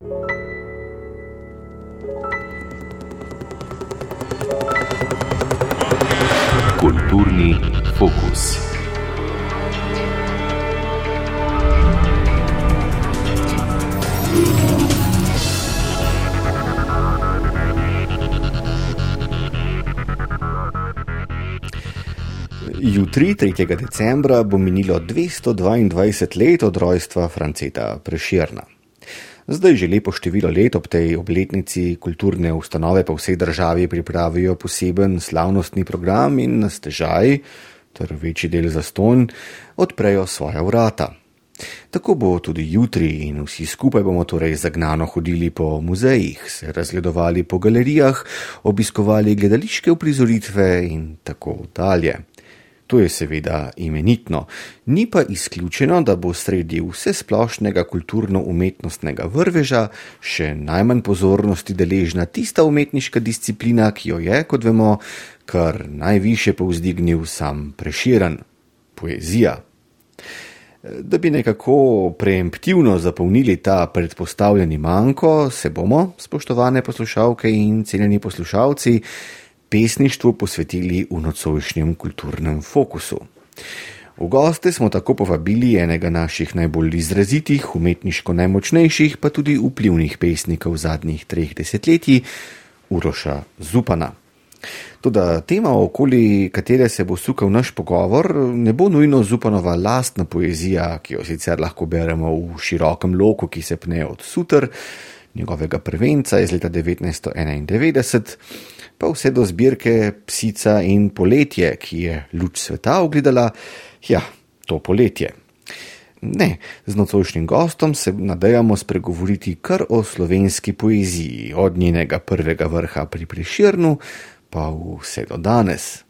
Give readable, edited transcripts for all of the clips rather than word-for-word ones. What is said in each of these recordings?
Kulturni fokus. Jutri, 3. decembra, bo minilo 222 let od rojstva Franceta Prešerna. Zdaj že lepo število let ob tej obletnici kulturne ustanove po vsej državi pripravijo poseben slavnostni program in na stežaj, ter večji del zastonj, odprejo svoja vrata. Tako bo tudi jutri in vsi skupaj bomo torej zagnano hodili po muzejih, se razgledovali po galerijah, obiskovali gledališke uprizoritve in tako dalje. To je seveda imenitno, ni pa izključeno, da bo sredi vsesplošnega kulturno-umetnostnega vrveža še najmanj pozornosti deležna tista umetniška disciplina, ki jo je, kot vemo, kar najviše povzdignil sam Prešeren – poezija. Da bi nekako preemptivno zapolnili ta predpostavljeni manko, se bomo, spoštovane poslušalke in cenjeni poslušalci, pesništvu posvetili v nocojšnjem kulturnem fokusu. V goste smo tako povabili enega naših najbolj izrazitih, umetniško najmočnejših, pa tudi vplivnih pesnikov zadnjih 3 desetletij, Uroša Zupana. Toda tema, okoli katere se bo sukal naš pogovor, ne bo nujno Zupanova lastna poezija, ki jo sicer lahko beremo v širokem loku, ki se pne od Suter, njegovega prvenca iz leta 1991, pa vse do zbirke Psica in poletje, ki je luč sveta ugledala, to poletje. Ne, z nocojšnjim gostom se nadejamo spregovoriti kar o slovenski poeziji, od njenega prvega vrha pri Prešernu, pa vse do danes.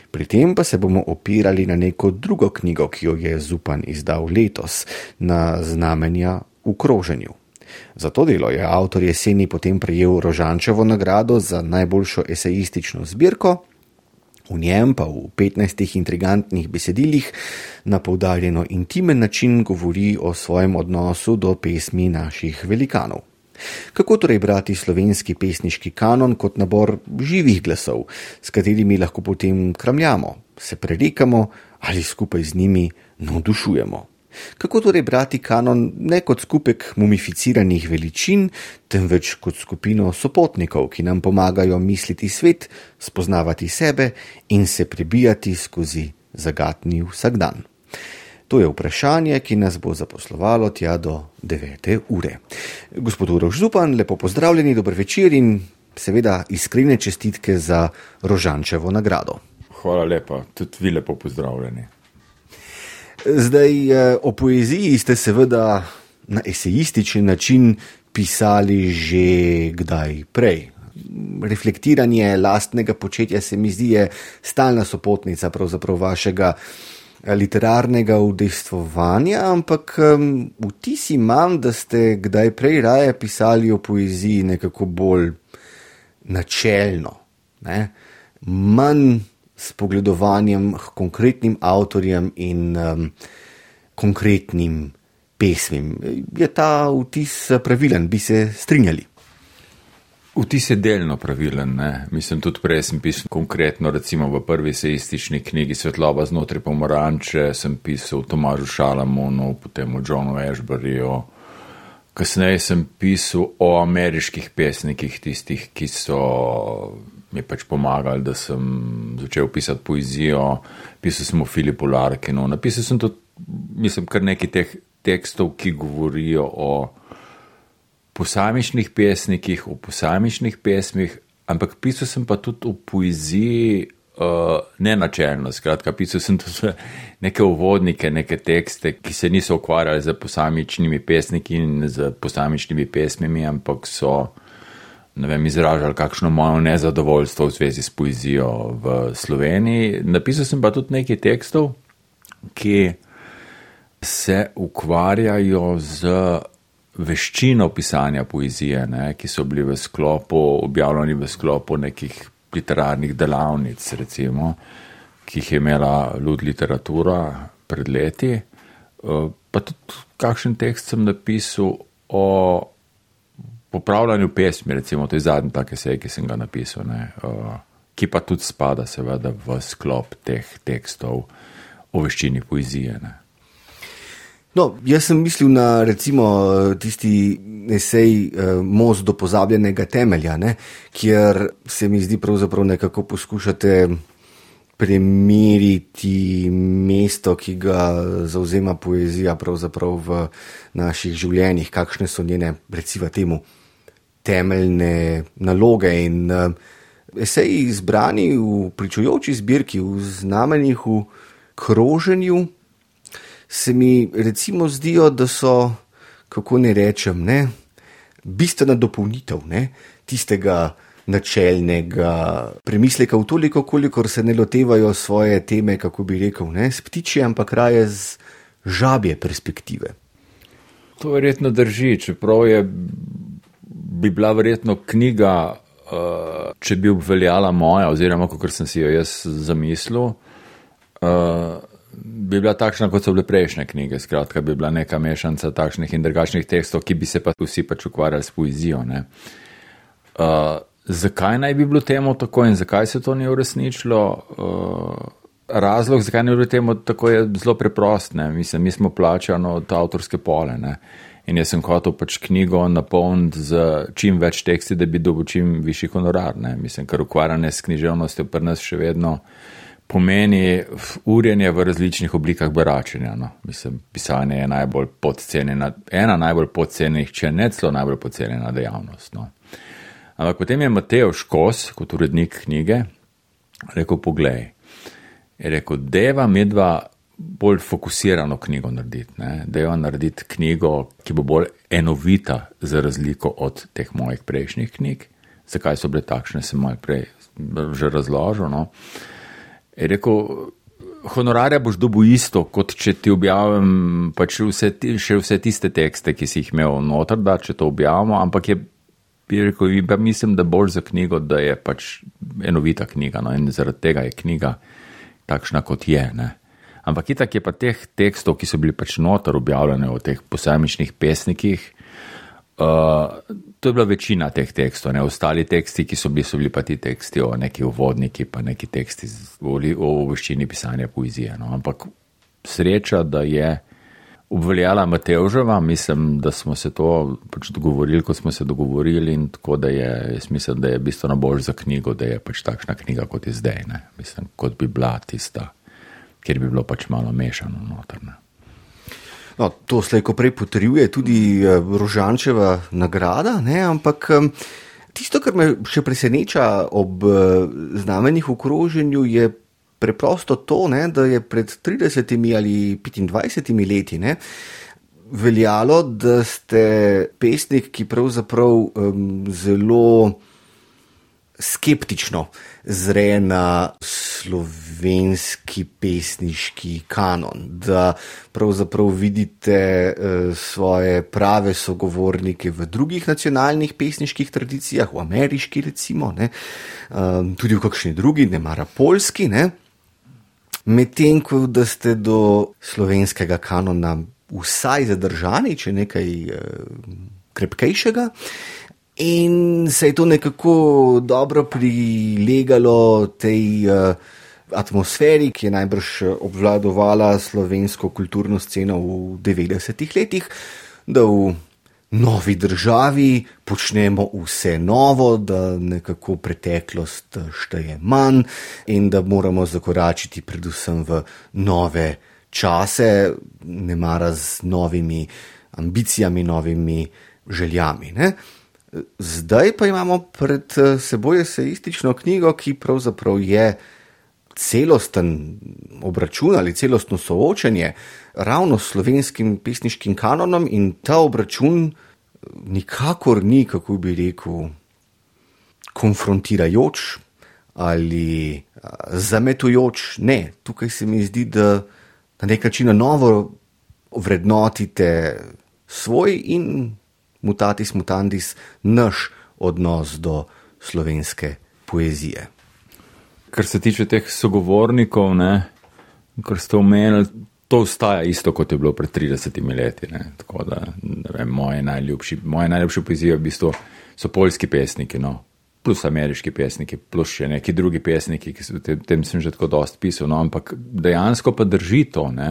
Pri tem pa se bomo opirali na neko drugo knjigo, ki jo je Zupan izdal letos, na Znamenja v kroženju. Za to delo je avtor jeseni potem prejel Rožančevo nagrado za najboljšo esejistično zbirko, v njem pa v 15 intrigantnih besedilih na poudarjeno intimen način govori o svojem odnosu do pesmi naših velikanov. Kako torej brati slovenski pesniški kanon kot nabor živih glasov, s katerimi lahko potem kramljamo, se prerekamo ali skupaj z njimi navdušujemo? Kako torej brati kanon ne kot skupek mumificiranih veličin, temveč kot skupino sopotnikov, ki nam pomagajo misliti svet, spoznavati sebe in se prebijati skozi zagatni vsakdan? To je vprašanje, ki nas bo zaposlovalo tja do 9. ure. Gospod Uroš Zupan, lepo pozdravljeni, dober večer in seveda iskrene čestitke za Rožančevo nagrado. Hvala lepa, tudi vi lepo pozdravljeni. Zdaj, o poeziji ste seveda na esejističen način pisali že kdaj prej. Reflektiranje lastnega početja se mi zdi je stalna sopotnica pravzaprav vašega literarnega udejstvovanja, ampak vtis imam, da ste kdaj prej raje pisali o poeziji nekako bolj načelno, ne? Manj s pogledovanjem k konkretnim avtorjem in konkretnim pesmim. Je ta vtis pravilen, bi se strinjali? Vtis je delno pravilen, ne. Mislim, tudi prej sem pisal konkretno, recimo v prvi esejistični knjigi Svetloba znotraj pomaranče, sem pisal o Tomažu Šalamonu, potem o Johnu Ashburyju. Kasneje sem pisal o ameriških pesnikih, tistih, ki so mi pač pomagali, da sem začel pisati poezijo. Pisal sem o Philippu Larkinu, napisal sem tudi, mislim, kar nekaj teh tekstov, ki govorijo o posamičnih pesnikih, o posamičnih pesmih, ampak pisal sem pa tudi o poeziji nenačelno. Skratka, pisal sem tudi neke uvodnike, neke tekste, ki se niso ukvarjali z posamičnimi pesniki in z posamičnimi pesmimi, ampak so izražali kakšno mojo nezadovoljstvo v zvezi s poezijo v Sloveniji. Napisal sem pa tudi nekaj tekstov, ki se ukvarjajo z veščino pisanja poezije, ne, ki so bili objavljeni v sklopu nekih literarnih delavnic, recimo, ki jih je imela Lud literatura pred leti. Pa tudi kakšen tekst sem napisal o popravljanju pesmi, recimo, to je zadnji tak esej, ki sem ga napisal, ne, ki pa tudi spada seveda v sklop teh tekstov o veščini poezije. Ne. No, jaz sem mislil na recimo tisti esej Most do pozabljenega temelja, ne, kjer se mi zdi pravzaprav nekako poskušate premeriti mesto, ki ga zauzema poezija pravzaprav v naših življenjih, kakšne so njene, recimo temu, temeljne naloge in eseji izbrani v pričujoči zbirki, v znamenjih, v kroženju, se mi recimo zdijo, da so, kako ne rečem, ne, bistvena dopolnitev, ne, tistega načelnega premisleka v toliko, kolikor se ne lotevajo svoje teme, kako bi rekel, ne, s ptičje, ampak raje z žabje perspektive. To verjetno drži, čeprav bi bila verjetno knjiga, če bi obveljala moja, oziroma kakor sem si jo jaz zamislil, bi bila takšna, kot so bile prejšnje knjige, skratka bi bila neka mešanca takšnih in drugačnih tekstov, ki bi se pa vsi pač ukvarjali s poezijo, ne. Zakaj naj bi bilo temu tako in zakaj se to ni uresničilo? Razlog, zakaj ni bilo temu tako, je zelo preprost. Ne? Mislim, mi smo plačani od avtorske pole, ne? In jaz sem hotel pač knjigo napolniti z čim več teksti, da bi dobil čim višji honorar. Ne? Mislim, ker ukvarjanje s književnostjo pri nas še vedno pomeni urjenje v različnih oblikah beračenja. No? Mislim, pisanje je najbolj podcenjena, ena najbolj podcenjenih, če ne celo najbolj podcenjena dejavnost. No? Ampak potem je Mateo Škos, kot urednik knjige, rekel, poglej, je rekel, deva medva bolj fokusirano knjigo narediti, ne? Deva narediti knjigo, ki bo bolj enovita za razliko od teh mojih prejšnjih knjig. Zakaj so bile takšne, sem malo prej že razložil, no. Je rekel, honorarja boš dobil isto, kot če ti objavim pač vse tiste tekste, ki si jih imel noter, da če to objavimo, ampak bi rekel, mislim, da bolj za knjigo, da je pač enovita knjiga, no, in zaradi tega je knjiga takšna, kot je, ne. Ampak itak je pa teh tekstov, ki so bili pač noter objavljene v teh posamičnih pesnikih, to je bila večina teh tekstov, ne, ostali teksti, ki so bili pa ti teksti o neki uvodniki, pa neki teksti o veščini pisanja poezije, no, ampak sreča, da je obveljala Matevževa, mislim, da smo se to pač dogovorili, kot smo se dogovorili in tako, da jaz mislim, da je bistveno bolj za knjigo, da je pač takšna knjiga, kot je zdaj, ne, mislim, kot bi bila tista, kjer bi bilo pač malo mešano noter, ne. No, to slejko prej potrjuje tudi Rožančeva nagrada, ne, ampak tisto, kar me še preseneča ob znamenjih v kroženju, je preprosto to, ne, da je pred 30 ali 25 leti, ne, veljalo, da ste pesnik, ki pravzaprav zelo skeptično zre na slovenski pesniški kanon, da pravzaprav vidite svoje prave sogovornike v drugih nacionalnih pesniških tradicijah, v ameriški recimo, ne, tudi v kakšni drugi, ne mara poljski, ne. Medtem, ko da ste do slovenskega kanona vsaj zadržani, če nekaj krepkejšega, in se je to nekako dobro prilegalo tej atmosferi, ki je najbrž obvladovala slovensko kulturno sceno v 90-ih letih, da v novi državi počnemo vse novo, da nekako preteklost šteje manj in da moramo zakoračiti predvsem v nove čase, ne mara z novimi ambicijami, novimi željami, ne. Zdaj pa imamo pred seboj eseistično knjigo, ki pravzaprav je celosten obračun ali celostno soočenje ravno s slovenskim pesniškim kanonom in ta obračun nikakor ni, kako bi rekel, konfrontirajoč ali zametujoč. Ne, tukaj se mi zdi, da na nek način na novo vrednotite svoj in mutatis mutandis naš odnos do slovenske poezije. Kar se tiče teh sogovornikov, ne, kar ste omenili, to ostaja isto, kot je bilo pred 30 leti. Ne. Tako da, ne vem, moje najljubše poezije v bistvu so poljski pesniki, no. Plus ameriški pesniki, plus še neki drugi pesniki, ki so tem sem že tako dosti pisal, no, ampak dejansko pa drži to, ne,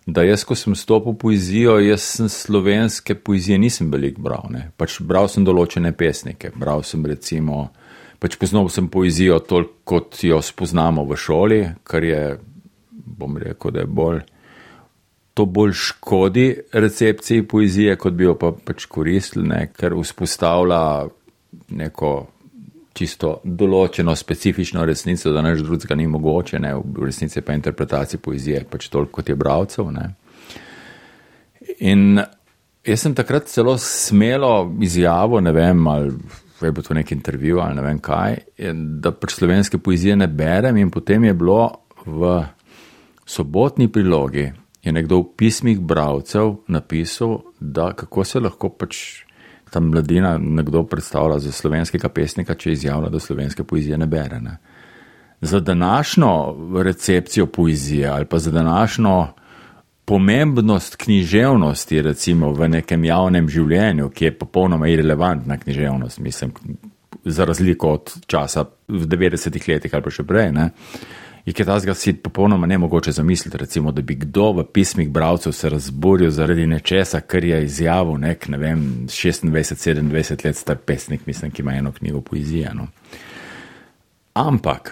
da jaz, ko sem stopil v poezijo, jaz sem slovenske poezije nisem veliko bral, ne, pač bral sem določene pesnike, bral sem recimo, pač poznal sem poezijo toliko, kot jo spoznamo v šoli, kar je, bom rekel, da je to bolj škodi recepciji poezije, kot bi jo pa pač koristili, ne, ker vzpostavlja neko čisto določeno specifično resnico, da nič drugega ni mogoče, ne, v resnici pa interpretacija poezije pač toliko, kot je bralcev, ne. In jaz sem takrat celo smelo izjavo, ne vem, ali je bilo to nek intervju, ali ne vem kaj, da pač slovenske poezije ne berem in potem je bilo v sobotni prilogi je nekdo v pismih bralcev napisal, da kako se lahko pač ta mladina nekdo predstavlja za slovenskega pesnika, če izjavlja, da slovenske poezije ne bere. Ne. Za današnjo recepcijo poezije ali pa za današnjo pomembnost književnosti recimo v nekem javnem življenju, ki je popolnoma irelevantna književnost, mislim, za razliko od časa v 90-ih letih ali pa še prej, ne, je kaj tazga si popolnoma nemogoče zamisliti, recimo, da bi kdo v pismih bralcev se razburil zaradi nečesa, kar je izjavil nek, ne vem, 26-27 let star pesnik, mislim, ki ima eno knjigo poezije. No. Ampak,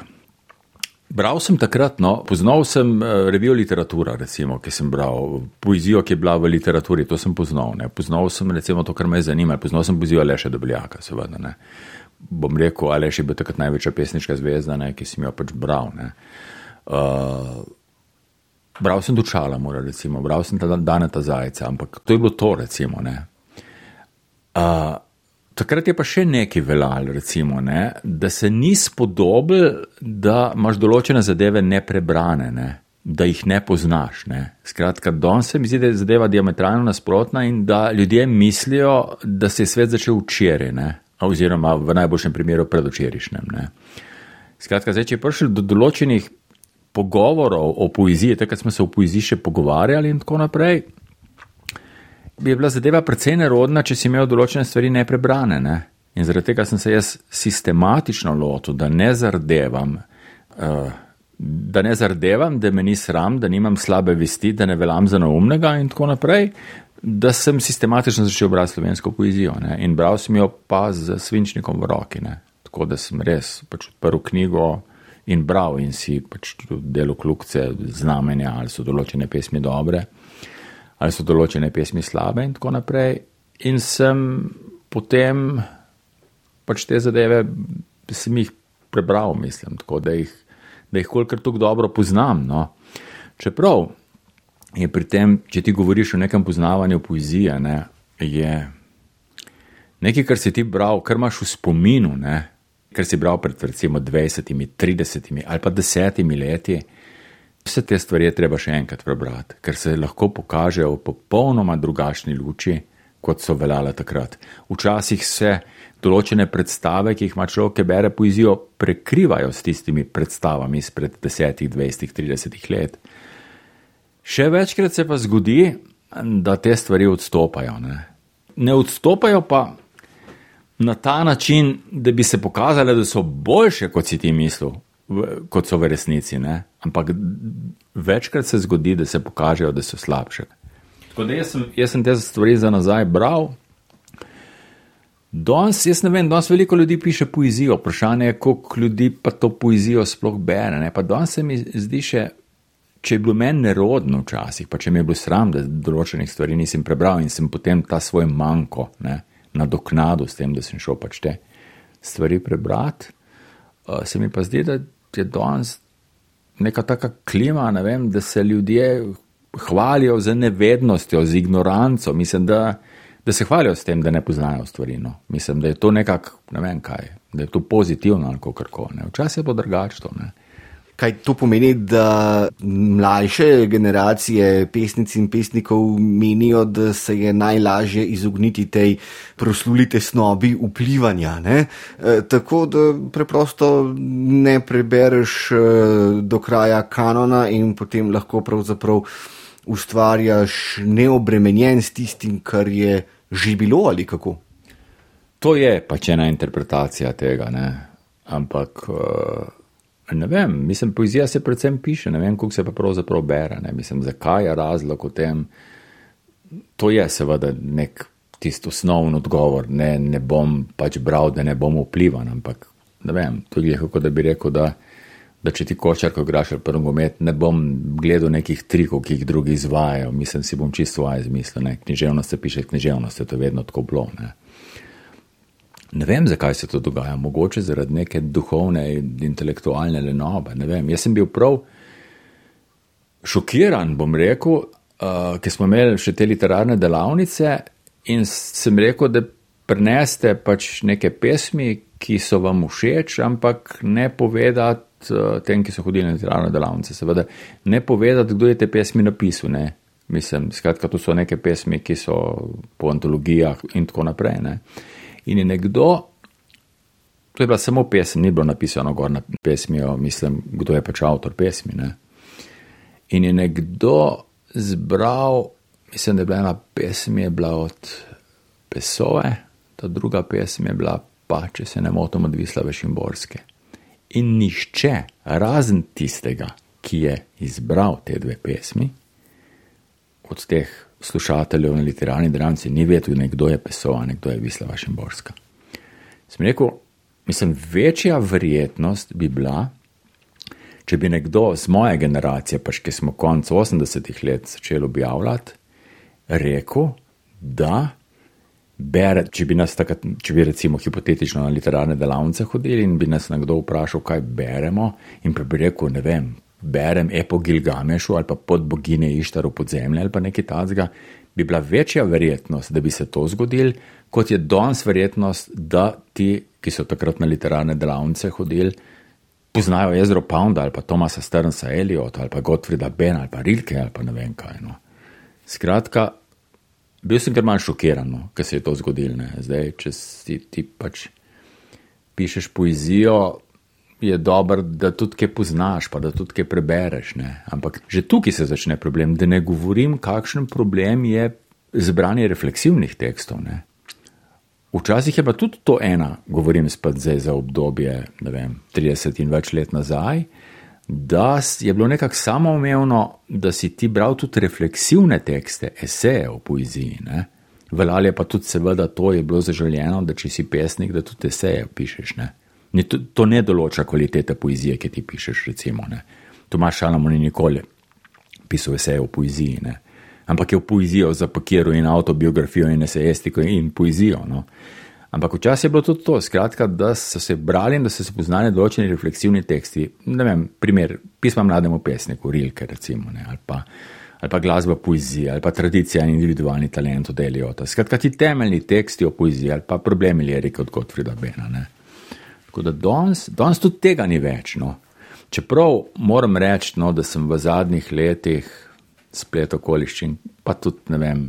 bral sem takrat, no, poznal sem revijo Literatura, recimo, ki sem bral, poezijo, ki je bila v literaturi, to sem poznal, ne. Poznal sem, recimo, to, kar me je zanimalo, poznal sem poezijo Aleša Debeljaka, seveda, ne. Bom rekel, Aleš je bil takrat največja pesniška zvezda, ne, ki sem jo pač bral. Ne. Bral sem Dučala, recimo, bral sem Daneta Zajca, ampak to je bilo to, recimo. Ne. Takrat je pa še nekaj veljalo, recimo, ne, da se ni spodobil, da imaš določene zadeve neprebrane, ne, da jih ne poznaš. Ne. Skratka, danes se mi zdi, da je zadeva diametralno nasprotna in da ljudje mislijo, da se je svet začel včeraj, ne. Oziroma v najboljšem primeru predvčerajšnjem. Skratka, zdaj, če je prišel do določenih pogovorov o poeziji, takrat smo se o poeziji še pogovarjali in tako naprej, bi bila zadeva precej nerodna, če si imel določene stvari neprebrane. Ne? In zaradi tega sem se jaz sistematično lotil, da ne zardevam, da me ni sram, da nimam slabe vesti, da ne veljam za neumnega in tako naprej, da sem sistematično začel brati slovensko poezijo, ne? In bral sem jo pa z svinčnikom v roki, ne? Tako da sem res pač odprl knjigo in bral in si pač delal kljukice, znamenja, ali so določene pesmi dobre, ali so določene pesmi slabe in tako naprej. In sem potem pač te zadeve sem jih prebral, mislim, tako da jih kolikor tako dobro poznam, no. Čeprav je pri tem, če ti govoriš o nekem poznavanju poezije, ne, je nekaj, kar si ti bral, kar imaš v spominu, ne, kar si bral pred recimo 20, 30 ali pa 10 leti, vse te stvari je treba še enkrat prebrati, ker se lahko pokažejo v popolnoma drugačni luči, kot so veljale takrat. Včasih se določene predstave, ki jih ima človek, ki bere poezijo, prekrivajo s tistimi predstavami izpred 10, 20, 30 let. Še večkrat se pa zgodi, da te stvari odstopajo. Ne odstopajo pa na ta način, da bi se pokazale, da so boljše, kot si ti mislil, kot so v resnici. Ne? Ampak večkrat se zgodi, da se pokažejo, da so slabše. Tako da jaz sem te stvari za nazaj bral. Danes veliko ljudi piše poezijo. Vprašanje je, koliko ljudi pa to poezijo sploh bere. Ne? Pa danes se mi zdi še, če je bilo meni nerodno včasih, pa če mi je bilo sram, da določenih stvari nisem prebral in sem potem ta svoj manko, ne, nadoknadil s tem, da sem šel pač te stvari prebrati, se mi pa zdi, da je danes neka taka klima, ne vem, da se ljudje hvalijo z nevednostjo, z ignoranco, mislim, da se hvalijo s tem, da ne poznajo stvari, no. Mislim, da je to nekako, ne vem kaj, da je to pozitivno ali kakorkoli, ne. Včasih je bilo drugače to, ne. Kaj to pomeni, da mlajše generacije pesnic in pesnikov menijo, da se je najlažje izogniti tej prosluli tesnobi vplivanja, ne? Tako da preprosto ne prebereš do kraja kanona in potem lahko pravzaprav ustvarjaš neobremenjen s tistim, kar je že bilo ali kako? To je pač ena interpretacija tega, ne? Ampak ne vem, mislim, poezija se predvsem piše, ne vem, koliko se pa pravzaprav bere, ne? Mislim, zakaj je razlog v tem, to je seveda nek tisto osnovni odgovor, ne bom pač bral, da ne bom vplivan, ampak ne vem, to je kako da bi rekel, da če ti košarko igraš ali pa nogomet, ne bom gledal nekih trikov, ki jih drugi izvajajo, mislim, si bom čisto svoje izmislil, ne, književnost se piše književnost, to je vedno tako bilo, ne. Ne vem, zakaj se to dogaja, mogoče zaradi neke duhovne in intelektualne lenobe, ne vem, jaz sem bil prav šokiran, bom rekel, ker smo imeli še te literarne delavnice in sem rekel, da prineste pač neke pesmi, ki so vam všeč, ampak ne povedati tem, ki so hodili na literarne delavnice, seveda ne povedati, kdo je te pesmi napisal, ne. Mislim, skratka, to so neke pesmi, ki so po antologijah in tako naprej, ne. In je nekdo, to je bila samo pesem, ni bilo napisano gor na pesmijo, mislim, kdo je pač avtor pesmi, ne. In je nekdo zbral, mislim, da je bila ena pesem, je bila od Pessoe, ta druga pesem je bila pa, če se ne motim, od Vislave Šimborske. In nišče, razen tistega, ki je izbral te dve pesmi, od teh slušateljev na literarni delavnici, ni vedel, kdo je Pessoa, kdo je Vislava Šimborska. Sem rekel, mislim, večja verjetnost bi bila, če bi nekdo z moje generacije, pač ki smo konec 80-ih let začeli objavljati, rekel, da bere, če bi recimo hipotetično na literarne delavnice hodili in bi nas nekdo vprašal, kaj beremo, in pa bi rekel, ne vem, berem Epo Gilgamešu ali pa Pod bogine Ištar v podzemlje ali pa nekaj takega, bi bila večja verjetnost, da bi se to zgodil, kot je danes verjetnost, da ti, ki so takrat na literarne delavnice hodili, poznajo Ezro Pounda ali pa Thomasa Stearnsa Eliota ali pa Gottfrieda Benna ali pa Rilke ali pa ne vem kaj. No. Skratka, bil sem kar manj šokiran, no, ker se je to zgodil. Ne. Zdaj, če ti pač pišeš poezijo, je dobro, da tudi kaj poznaš, pa da tudi kaj prebereš. Ne. Ampak že tukaj se začne problem, da ne govorim, kakšen problem je zbranje refleksivnih tekstov. Ne. Včasih je pa tudi to govorim spet zdaj za obdobje, ne vem, 30 in več let nazaj, da je bilo nekako samoumevno, da si ti bral tudi refleksivne tekste, eseje v poeziji. Ne? Veljalo je pa tudi seveda to je bilo zaželjeno, da če si pesnik, da tudi eseje pišeš. Ne? To ne določa kvalitete poezije, ki ti pišeš, recimo. Ne? Tomaž Šalamun ni nikoli pisal eseje v poeziji, ne? Ampak je v poezijo zapakiral in autobiografijo in esejestiko in poezijo. No? Ampak včasih je bilo tudi to, skratka, da so se brali in da so se poznali določeni refleksivni teksti. Ne vem, primer, pisma mlademu pesniku, Rilke recimo, ne? ali pa glasba poezije, ali pa tradicija in individualni talent od Eliota. Skratka, ti temeljni teksti o poeziji, ali pa problemi lirike od Gottfrieda Benna. Ne? Tako da danes tudi tega ni več. No? Čeprav moram reči, no, da sem v zadnjih letih splet okoliščin, pa tudi, ne vem,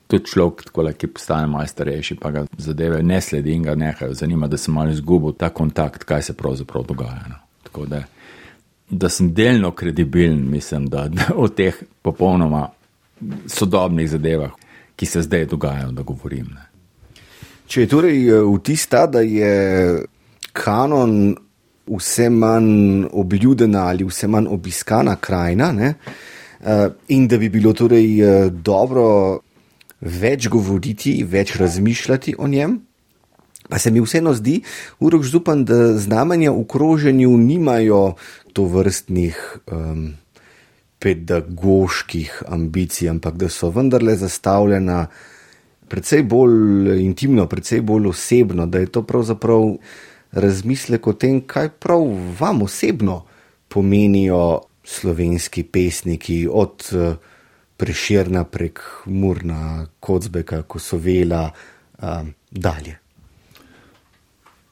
tudi človek, ki postane malo starejši, pa ga zadeve ne sledi in ga nehajo zanima, da sem malo izgubil ta kontakt, kaj se pravzaprav dogaja. No. Tako da sem delno kredibilen, mislim, da o teh popolnoma sodobnih zadevah, ki se zdaj dogajajo, da govorim. Ne. Če je torej vtis ta, da je kanon vse manj obljudena ali vse manj obiskana krajina, ne? In da bi bilo torej dobro več govoriti, več razmišljati o njem, pa se mi vseeno zdi, Uroš Zupan, da znamenja v kroženju nimajo tovrstnih pedagoških ambicij, ampak da so vendarle zastavljena precej bolj intimno, precej bolj osebno, da je to pravzaprav razmislek o tem, kaj prav vam osebno pomenijo slovenski pesniki od Prešerna prek Murna, Kocbeka, Kosovela dalje.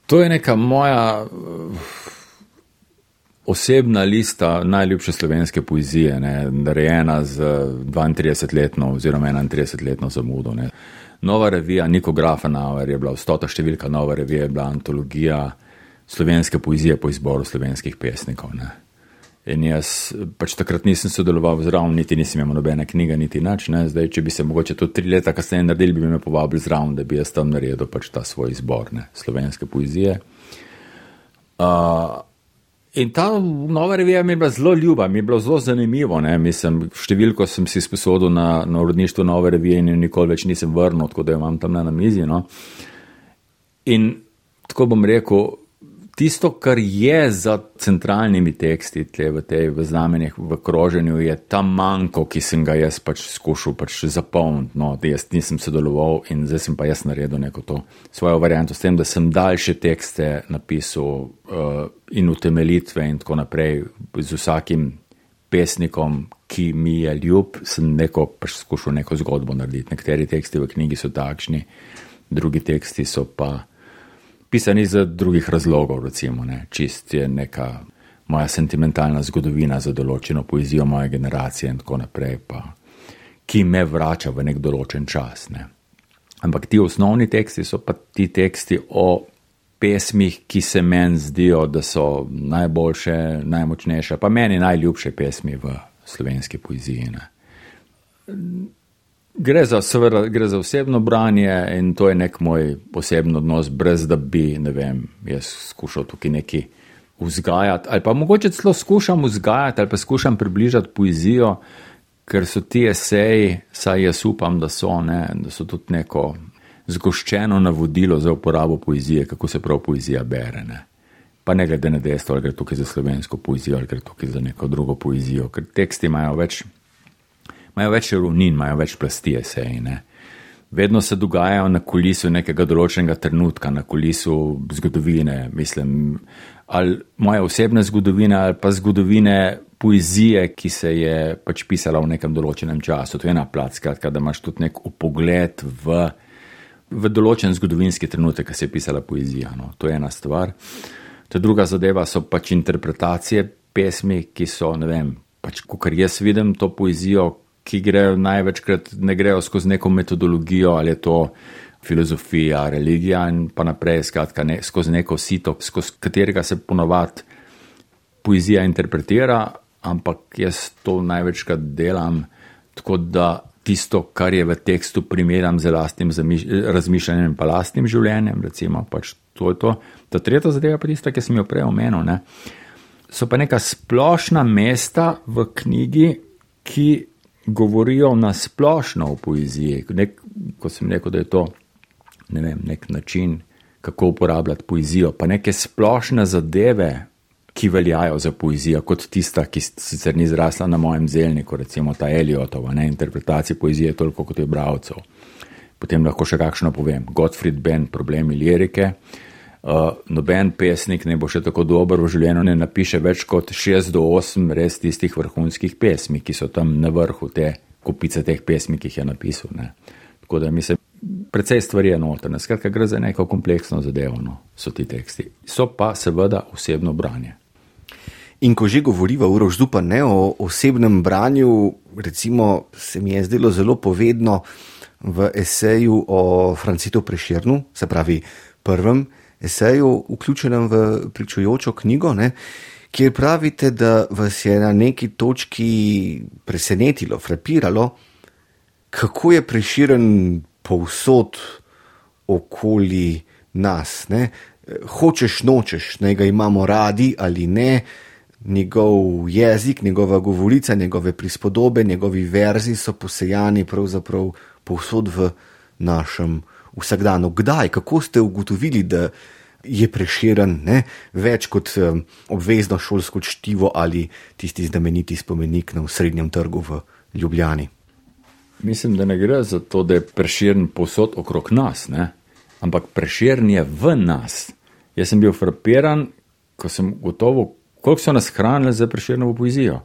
To je neka moja osebna lista najljubše slovenske poezije, ne, narejena z 32-letno oziroma 31-letno zamudo. Ne. Nova revija Niko Grafenauer je bila 100. številka Nova revija, je bila antologija slovenske poezije po izboru slovenskih pesnikov. Ne. In jaz pač takrat nisem sodeloval zraven, niti nisem imel nobene knjige, niti nič. Zdaj, če bi se mogoče to 3 leta kasneje naredili, bi me povabili zraven, da bi jaz tam naredil pač ta svoj izbor, ne, slovenske poezije. In ta Nova revija mi je bila zelo ljuba, mi je bilo zelo zanimivo. Ne. Mislim, številko sem si sposodil na uredništvu Nove revije in nikoli več nisem vrnil, tako da jo imam tam na mizi. No. In tako bom rekel, tisto, kar je za centralnimi teksti v znamenjih, v kroženju, je ta manko, ki sem ga jaz pač skušal pač zapolniti. No, jaz nisem sodeloval in zdaj sem pa jaz naredil neko to svojo varianto s tem, da sem daljše tekste napisal in utemeljitve in tako naprej z vsakim pesnikom, ki mi je ljub, sem pač skušal neko zgodbo narediti. Nekateri teksti v knjigi so takšni, drugi teksti so pa pisani za drugih razlogov, recimo, ne. Čist je neka moja sentimentalna zgodovina za določeno poezijo moje generacije in tako naprej, pa, ki me vrača v nek določen čas. Ne. Ampak ti osnovni teksti so pa ti teksti o pesmih, ki se meni zdijo, da so najboljše, najmočnejše, pa meni najljubše pesmi v slovenski poeziji. Ne. Gre za osebno branje in to je nek moj poseben odnos, brez da bi, ne vem, jaz skušal tukaj neki vzgajati, ali pa mogoče celo skušam vzgajati, ali pa skušam približati poezijo, ker so ti eseji, saj jaz upam, da so tudi neko zgoščeno navodilo za uporabo poezije, kako se prav poezija bere. Ne. Pa ne glede na dejstvo, ali gre tukaj za slovensko poezijo, ali gre tukaj za neko drugo poezijo, ker teksti imajo več ravnin, imajo več plasti eseji. Ne. Vedno se dogajajo na kulisu nekega določenega trenutka, na kulisu zgodovine, mislim, ali moje osebne zgodovine, ali pa zgodovine poezije, ki se je pač pisala v nekem določenem času. To je ena plat, skratka, da imaš tudi nek upogled v določen zgodovinski trenutek, ki se je pisala poezija. No. To je ena stvar. Ta druga zadeva so pač interpretacije pesmi, ki so, ne vem, pač, kakor jaz vidim to poezijo, ki grejo največkrat, ne grejo skozi neko metodologijo, ali je to filozofija, religija in pa naprej, skratka, skozi neko sito, skozi katerega se ponovadi poezija interpretira, ampak jaz to največkrat delam tako, da tisto, kar je v tekstu, primerjam z lastnim razmišljanjem pa lastnim življenjem, recimo, pač to je to. Ta tretja zadeva pa tista, ki sem jo prej omenil, ne, so pa neka splošna mesta v knjigi, ki govorijo na splošno o poeziji. Ko sem rekel, da je to, ne vem, nek način, kako uporabljati poezijo, pa neke splošne zadeve, ki veljajo za poezijo, kot tista, ki sicer ni zrasla na mojem zelniku, recimo ta Eliotova, ne, interpretacija poezije toliko kot je bralcev. Potem lahko še kakšno povem. Gottfried Benn, Problemi lirike. Noben pesnik ne bo še tako dober v življenju, ne napiše več kot 6 do 8 res tistih vrhunskih pesmi, ki so tam na vrhu te kupice teh pesmi, ki jih je napisal. Ne. Tako da mislim, precej stvari je notrne. Skratka, gre za neko kompleksno zadevo, no, so ti teksti. So pa seveda osebno branje. In ko že govoriva Uroš Zupan, ne, o osebnem branju, recimo se mi je zdelo zelo povedno v eseju o Francetu Prešernu, se pravi prvem eseju, vključenem v pričujočo knjigo, ne, kjer pravite, da vas je na neki točki presenetilo, frapiralo, kako je Prešeren povsod okoli nas. Ne. Hočeš, nočeš, naj ga imamo radi ali ne, njegov jezik, njegova govorica, njegove prispodobe, njegovi verzi so posejani pravzaprav povsod v našem vsakdanu. Kdaj, kako ste ugotovili, da je Prešeren, ne, več kot obvezno šolsko čtivo ali tisti znameniti spomenik na Osrednjem trgu v Ljubljani? Mislim, da ne gre za to, da je Prešeren povsod okrog nas, ne, ampak Prešeren je v nas. Jaz sem bil frapiran, ko sem gotovo, koliko so nas hranili za Prešernovo poezijo.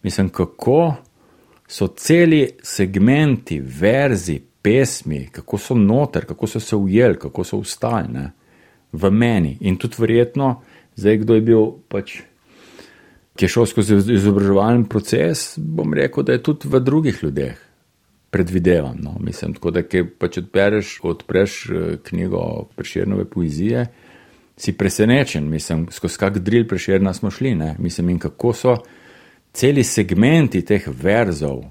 Mislim, kako so celi segmenti, verzi, pesmi, kako so noter, kako so se ujeli, kako so vstali, ne, v meni. In tudi verjetno, zdaj kdo je bil pač ki je šel skozi izobraževalni proces, bom rekel, da je tudi v drugih ljudeh. Predvidevam, no, mislim, tako da, pa če odpreš knjigo Prešernove poezije, si presenečen, mislim, skozi kak drill Prešerna smo šli, ne, mislim, in kako so celi segmenti teh verzov,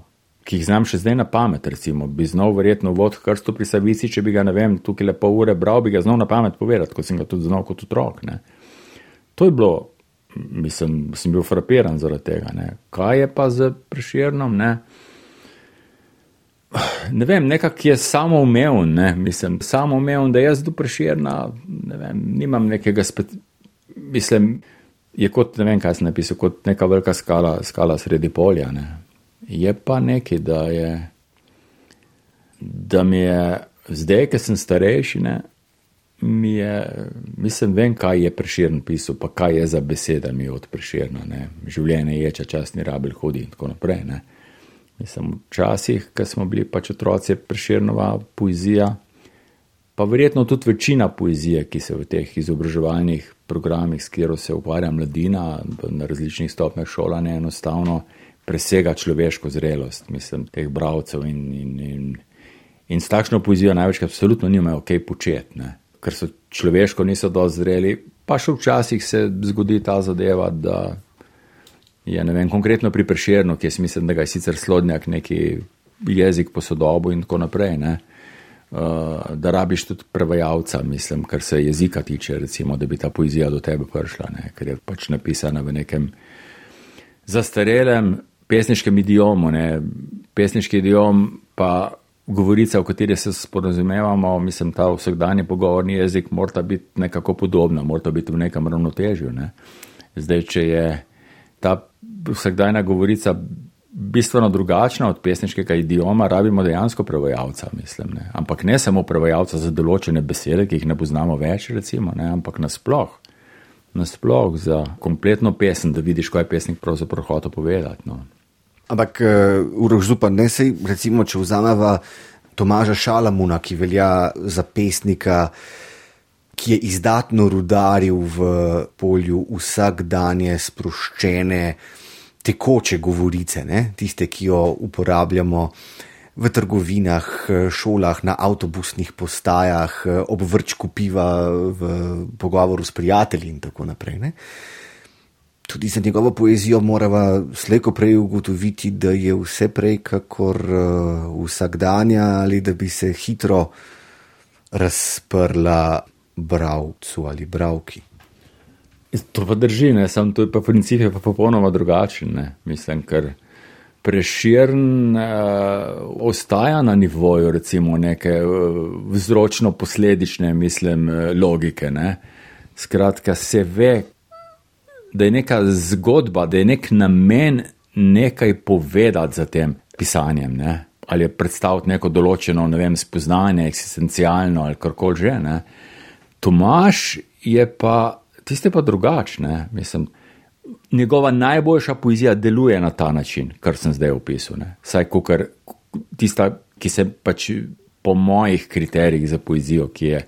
ki jih znam še zdaj na pamet, recimo, bi znal verjetno vod Krsto pri Savici, če bi ga, ne vem, tukaj le pol ure bral, bi ga znal na pamet povedati, kot sem ga tudi znal kot otrok, ne. To je bilo, mislim, sem bil frapiran zaradi tega, ne. Kaj je pa z Prešernom, ne? Ne vem, nekak je samoumeven, ne, mislim, samoumeven, da jaz do Prešerna, ne vem, nimam nekega mislim, je kot, ne vem, kaj sem napisal, kot neka velika skala sredi polja, ne. Je pa nekaj, da mi je, zdaj, ker sem starejši, ne, mislim, vem, kaj je Prešern pisal, pa kaj je za beseda mi od Prešerna, ne, življenje ječe, čas ni rabel hodi in tako naprej, ne. Mislim, včasih, ko smo bili pač otroci, Prešernova poezija, pa verjetno tudi večina poezije, ki se v teh izobraževalnih programih, s katero se ukvarja mladina na različnih stopnjah šolanja, enostavno presega človeško zrelost, mislim, teh bralcev in s takšno poezijo največkrat absolutno nimajo kaj početi, ne, ker so človeško niso dosti zreli, pa še včasih se zgodi ta zadeva, da je, ne vem, konkretno pri Prešernu, ki jaz mislim, da ga je sicer Slodnjak neki jezik posodobil in tako naprej, ne, da rabiš tudi prevajalca, mislim, kar se jezika tiče, recimo, da bi ta poezija do tebe prišla, ne, ker je pač napisana v nekem zastarelem pesniškem idiomu, ne, pesniški idiom pa govorica, v kateri se sporazumevamo, mislim, ta vsakdanji pogovorni jezik mora biti nekako podobna, mora biti v nekem ravnotežju, ne. Zdaj, če je ta vsakdajna govorica bistveno drugačna od pesniškega idioma, rabimo dejansko prevajalca, mislim, ne. Ampak ne samo prevajalca za določene besede, ki jih ne poznamo več, recimo, ne, ampak nasploh za kompletno pesem, da vidiš, kaj je pesnik pravzaprav hotel povedati, no. Ampak, Uroš Zupan, ne sej, recimo, če vzameva Tomaža Šalamuna, ki velja za pesnika, ki je izdatno rudaril v polju vsakdanje sproščene, tekoče govorice, ne? Tiste, ki jo uporabljamo v trgovinah, šolah, na avtobusnih postajah, ob vrčku piva, v pogovoru s prijatelji in tako naprej, ne? Tudi za njegovo poezijo morava slejko prej ugotoviti, da je vse prej kakor vsakdanja ali da bi se hitro razprla bralcu ali bralki. To pa drži, ne, sam to je pa princip je pa popolnoma drugačen, ne, mislim, ker Prešern ostaja na nivoju, recimo, neke vzročno-posledične, mislim, logike, ne, skratka se ve, da je neka zgodba, da je nek namen nekaj povedati za tem pisanjem, ne, ali je predstaviti neko določeno, ne vem, spoznanje, eksistencialno ali karkoli že, ne. Tomaž je pa, tiste pa drugačne, mislim, njegova najboljša poezija deluje na ta način, kar sem zdaj opisal, ne. Saj kakor tista, ki se pač po mojih kriterijih za poezijo, ki je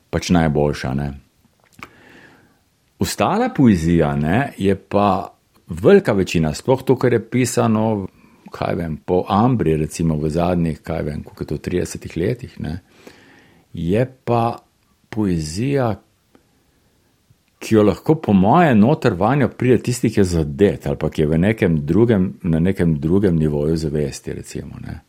pač najboljša, ne. Ostala poezija, ne, je pa velika večina, sploh to, kar je pisano, kaj vem, po Ambri, recimo v zadnjih, kaj vem, koliko je to 30 letih, ne, je pa poezija, ki jo lahko po moje noter vanjo pride tisti, ki je zadet, ali pa ki je na nekem drugem nivoju zavesti, recimo, ne.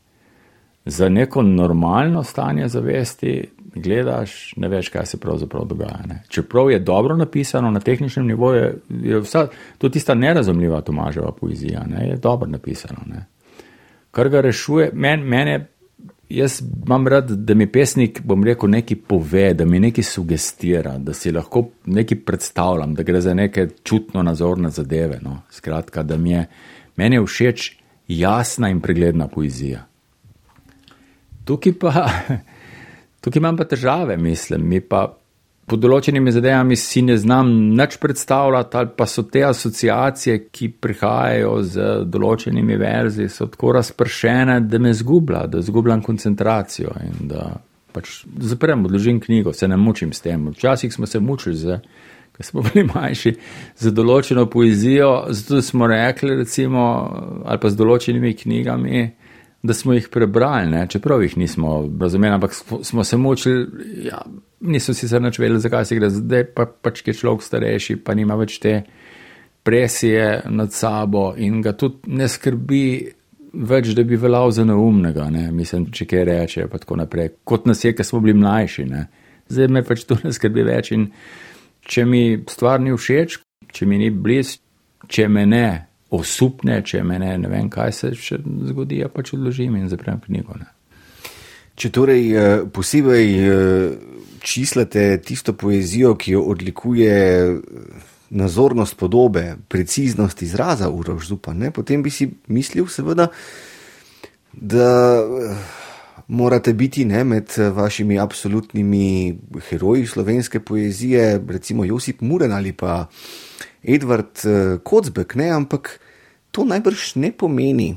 Za neko normalno stanje zavesti gledaš, ne veš, kaj se pravzaprav dogaja, ne. Čeprav je dobro napisano na tehničnem nivoju, je vsa, to tista nerazumljiva Tomaževa poezija, ne, je dobro napisano, ne. Kar ga rešuje, mene, jaz imam rad, da mi pesnik, bom rekel, nekaj pove, da mi nekaj sugestira, da si lahko nekaj predstavljam, da gre za neke čutno nazorne zadeve, no. Skratka, da meni je všeč jasna in pregledna poezija. Tukaj imam pa težave, mislim, mi pa po določenimi zadevami si ne znam nič predstavljati, ali pa so te asociacije, ki prihajajo z določenimi verzi, so tako razpršene, da me zgubljam koncentracijo in da pač zaprem, odložim knjigo, se ne mučim s tem. Včasih smo se mučili, ko ko smo bili manjši, za določeno poezijo, zato smo rekli, recimo, ali pa z določenimi knjigami, da smo jih prebrali, ne? Čeprav jih nismo razumeli, ampak smo se mučili, ja, niso si se nič vedeli, zakaj se gre, zdaj pač je človek starejši, pa nima več te presije nad sabo in ga tudi ne skrbi več, da bi veljal za neumnega, ne? Mislim, če kaj reče, pa tako naprej, kot nas je, ko smo bili mlajši, ne? Zdaj me pač to ne skrbi več in če mi stvar ni všeč, če mi ni blizu, če me ne osupne, če me ne vem, kaj se še zgodi, ja pač odložim in zaprem knjigo. Ne. Če torej posebej čislate tisto poezijo, ki jo odlikuje nazornost podobe, preciznost izraza Uroš Zupan, ne, potem bi si mislil seveda, da morate biti, ne, med vašimi absolutnimi heroji slovenske poezije, recimo Josip Muren ali pa Edvard Kocbek, ne, ampak to najbrž ne pomeni,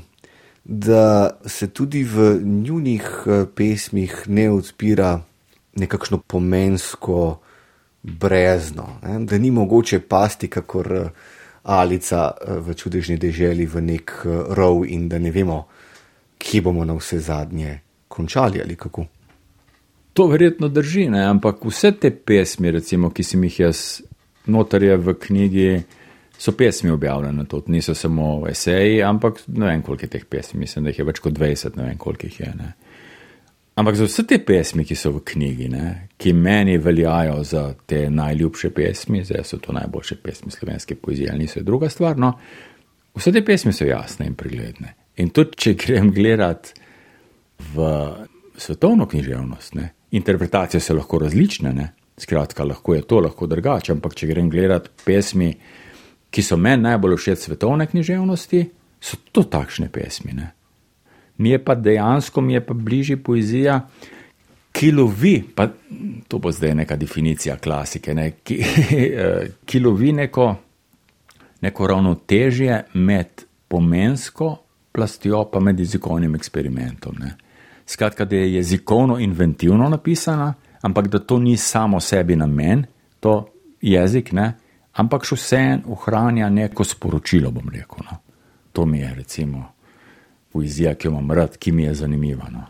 da se tudi v njunih pesmih ne odpira nekakšno pomensko brezno, ne, da ni mogoče pasti kakor Alica v Čudežni deželi v nek rov in da ne vemo, kje bomo na vse zadnje končali ali kako. To verjetno drži, ne, ampak vse te pesmi, recimo, ki sem jih jaz notarje v knjigi, so pesmi objavljene, to niso samo eseji, ampak ne vem, koliko je teh pesmi, mislim, da jih je več kot 20, ne vem, koliko jih je. Ne. Ampak za vse te pesmi, ki so v knjigi, ne, ki meni veljajo za te najljubše pesmi, zdaj so to najboljše pesmi slovenske poezije, ali niso, je druga stvar, no, vse te pesmi so jasne in pregledne. In tudi, če grem gledat v svetovno književnost, ne, interpretacije so lahko različne, ne, skratka, lahko je to, lahko drugače, ampak če grem gledat pesmi, ki so meni najbolj všeč svetovne književnosti, so to takšne pesmi, ne. Mi je pa dejansko, bližji poezija, ki lovi, pa to bo zdaj neka definicija klasike, ne, ki lovi neko ravnotežje med pomensko plastjo pa med jezikovnim eksperimentom, ne. Skratka, da je jezikovno inventivno napisana, ampak da to ni samo sebi namen, to jezik, ne, ampak še vseeno ohranja neko sporočilo, bom rekel. No. To mi je recimo poezija, ki jo imam rad, ki mi je zanimiva. No.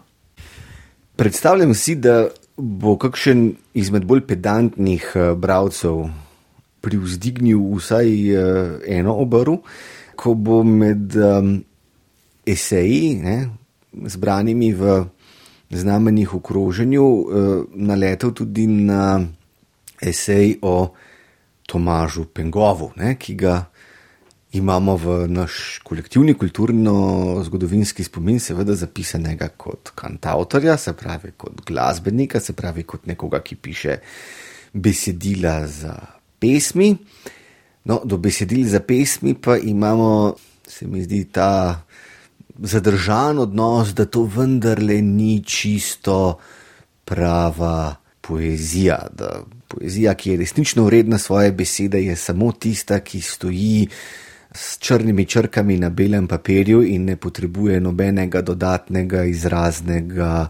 Predstavljam si, da bo kakšen izmed bolj pedantnih bralcev privzdignil vsaj eno obrv, ko bo med eseji, ne, zbranimi v znamenjih v kroženju, naletel tudi na esej o Tomažu Pengovu, ne, ki ga imamo v naš kolektivni kulturno-zgodovinski spomin seveda zapisanega kot kantavtorja, se pravi kot glasbenika, se pravi kot nekoga, ki piše besedila za pesmi. No, do besedil za pesmi pa imamo, se mi zdi, ta zadržan odnos, da to vendarle ni čisto prava poezija, da poezija, ki je resnično vredna svoje besede, je samo tista, ki stoji s črnimi črkami na belem papirju in ne potrebuje nobenega dodatnega izraznega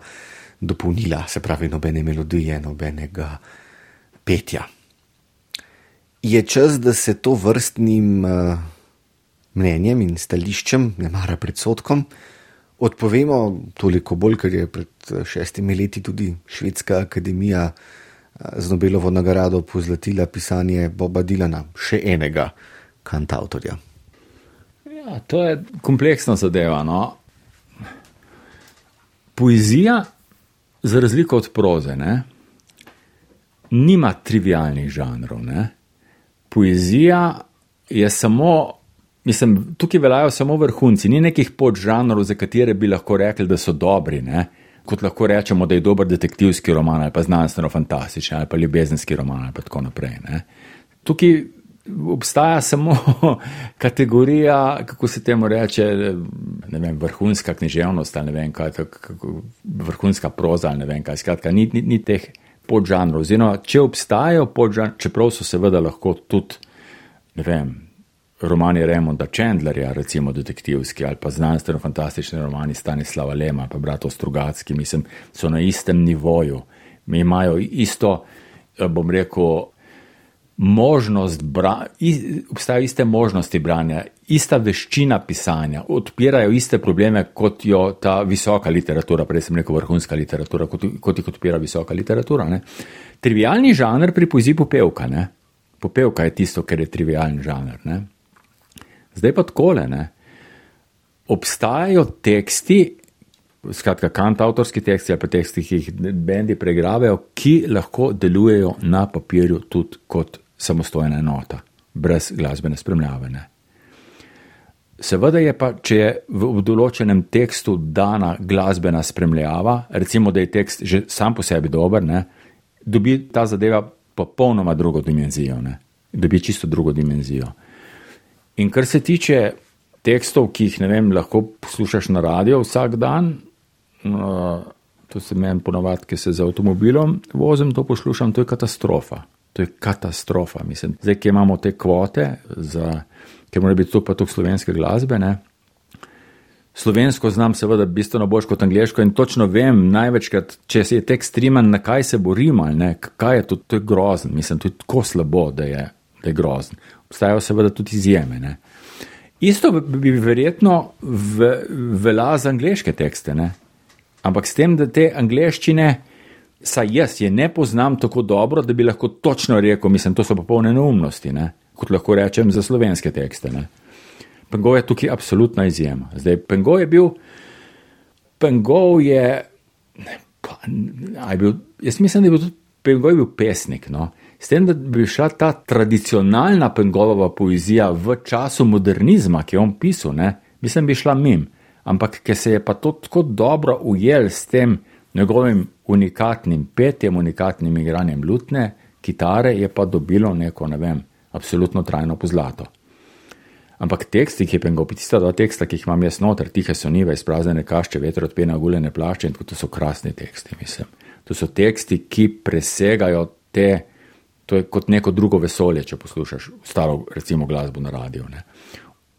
dopolnila, se pravi nobene melodije, nobenega petja. Je čas, da se to vrstnim mnenjem in stališčem, ne mara predsodkom, odpovemo, toliko bolj, ker je pred 6 leti tudi Švedska akademija z Nobelovo nagrado pozlatila pisanje Boba Dylana, še enega kantavtorja. Ja, to je kompleksna zadeva, no. Poezija, za razliko od proze, ne, nima trivialnih žanrov, ne. Poezija je samo, mislim, tukaj veljajo samo vrhunci, ni nekih podžanrov, za katere bi lahko rekli, da so dobri, ne. Kot lahko rečemo, da je dober detektivski roman ali pa znanstveno-fantastični ali pa ljubezenski roman ali pa tako naprej, ne. Tukaj obstaja samo kategorija, kako se temu reče, ne vem, vrhunska književnost ali ne vem kaj, vrhunska proza ali ne vem kaj, skratka, ni teh podžanrov. Oziroma, če obstajajo podžanrov, čeprav so seveda lahko tudi, ne vem, romani Raymonda Chandlerja, recimo detektivski ali pa znanstveno-fantastični romani Stanislava Lema pa bratov Strugatski, mislim, so na istem nivoju. Imajo isto, bom rekel, obstajajo iste možnosti branja, ista veščina pisanja, odpirajo iste probleme kot jo ta visoka literatura, prej sem rekel vrhunska literatura, kot jih odpira visoka literatura. Ne. Trivialni žanr pri poeziji popevka. Ne. Popevka je tisto, kar je trivialni žanr. Ne. Zdaj pa takole, ne. Obstajajo teksti, skratka kantavtorski teksti ali pa teksti, ki jih bendi pregravajo, ki lahko delujejo na papirju tudi kot samostojna enota, brez glasbene spremljave. Ne. Seveda je pa, če je v določenem tekstu dana glasbena spremljava, recimo, da je tekst že sam po sebi dober, ne, dobi ta zadeva popolnoma drugo dimenzijo. Ne. Dobi čisto drugo dimenzijo. In kar se tiče tekstov, ki jih, ne vem, lahko poslušaš na radio vsak dan, to se meni ponovadi, ki se z avtomobilom vozim, to poslušam, to je katastrofa. To je katastrofa, mislim. Zdaj, ki imamo te kvote, ker mora biti pa tukaj slovenske glasbe, ne. Slovensko znam seveda bistveno bolj kot angleško in točno vem največkrat, če se je tekst riman, na kaj se bo rimal, ne, kaj je to je grozen, mislim, to je tako slabo, da je grozen. Obstajajo seveda tudi izjeme, ne. Isto bi verjetno velja za angleške tekste, ne. Ampak s tem, da te angleščine, saj jaz je ne poznam tako dobro, da bi lahko točno rekel, mislim, to so popolne neumnosti, ne, kot lahko rečem za slovenske tekste, ne. Pengov je tukaj absolutna izjema. Zdaj, Pengov je, jaz mislim, da je bil tudi Pengov je bil pesnik, no. S tem, da bi šla ta tradicionalna Pengovova poezija v času modernizma, ki je on pisal, ne, mislim, bi šla mim. Ampak, ker se je pa to tako dobro ujel s tem njegovim unikatnim petjem, unikatnim igranjem lutne, kitare, je pa dobilo neko, ne vem, absolutno trajno pozlato. Ampak teksti, ki je Pengov, tista dva teksta, ki jih imam jaz noter, Tihe so nive, izpraznjene kašče, veter odpena guljene plašče, in tako, to so krasni teksti, mislim. To so teksti, ki presegajo to je kot neko drugo vesolje, če poslušaš staro, recimo, glasbo na radiju, ne.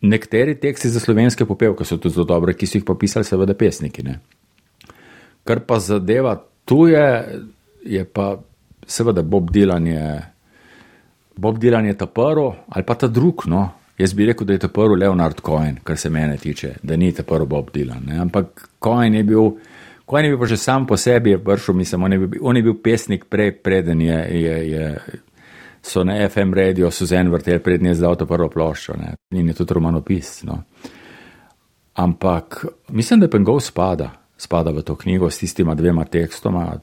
Nekateri teksti za slovenske popevke so tudi zelo dobre, ki so jih pa pisali seveda pesniki, ne. Kar pa zadeva tuje, je pa seveda Bob Dylan je ta prvi, ali pa ta drug, no. Jaz bi rekel, da je ta prvi Leonard Cohen, kar se mene tiče, da ni ta prvi Bob Dylan, ne. Ampak Cohen je bil pa že sam po sebi je prišel, mislim, on je bil pesnik preden so na FM radio Suzanne vrteli, preden je zdal to prvo ploščo, ne. In je tudi romanopis, no. Ampak mislim, da Pengov spada v to knjigo s tistima dvema tekstoma.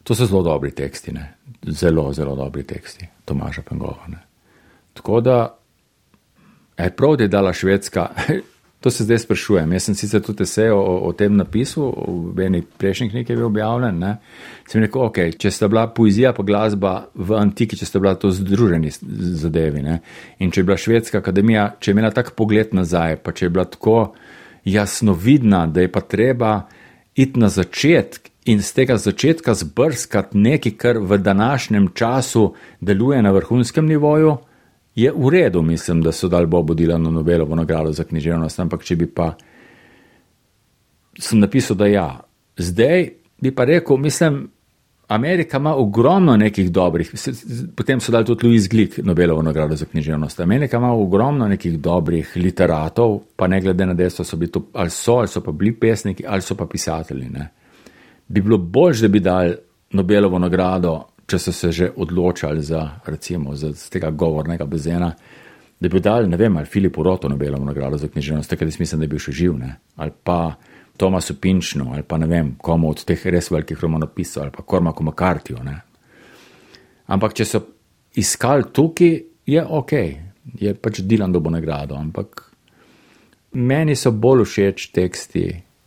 To so zelo dobri teksti, ne. Zelo, zelo dobri teksti Tomaža Pengova, ne. Tako da prav, da je dala Švedska, to se zdaj sprašujem. Jaz sem sicer tudi esej o tem napisal, v eni prejšnji knjigi je bil objavljen, ne. Sem rekel, ok, če sta bila poezija pa glasba v antiki, če sta bila to združeni zadevi, ne. In če je bila Švedska akademija, če je imela tak pogled nazaj, pa če je bila tako jasnovidna, da je pa treba iti na začetek in z tega začetka zbrskati nekaj, kar v današnjem času deluje na vrhunskem nivoju, je v redu, mislim, da so dali Bobu Dylanu Nobelovo nagrado za književnost, ampak če bi pa sem napisal, da ja. Zdaj bi pa rekel, mislim, Amerika ima ogromno nekih dobrih, potem so dali tudi Louis Gluck Nobelovo nagrado za književnost. Amerika ima ogromno nekih dobrih literatov, pa ne glede na dejstvo, so bili to, ali so pa bili pesniki, ali so pa pisatelji, ne. Bi bilo bolj, da bi dali Nobelovo nagrado, če so se že odločali za, recimo, z tega govornega bazena, da bi dali, ne vem, ali Filipu Rotu Nobelovo nagrado za književnost, takrat jaz mislim, da je bil še živ, ne, ali pa Tomasu Pinčnu, ali pa ne vem, komu od teh res velikih romanopisov, ali pa Cormacu McCarthyju, ne. Ampak, če so iskali tukaj, je ok, je pač Dylan dobil nagrado, ampak meni so bolj všeč teksti,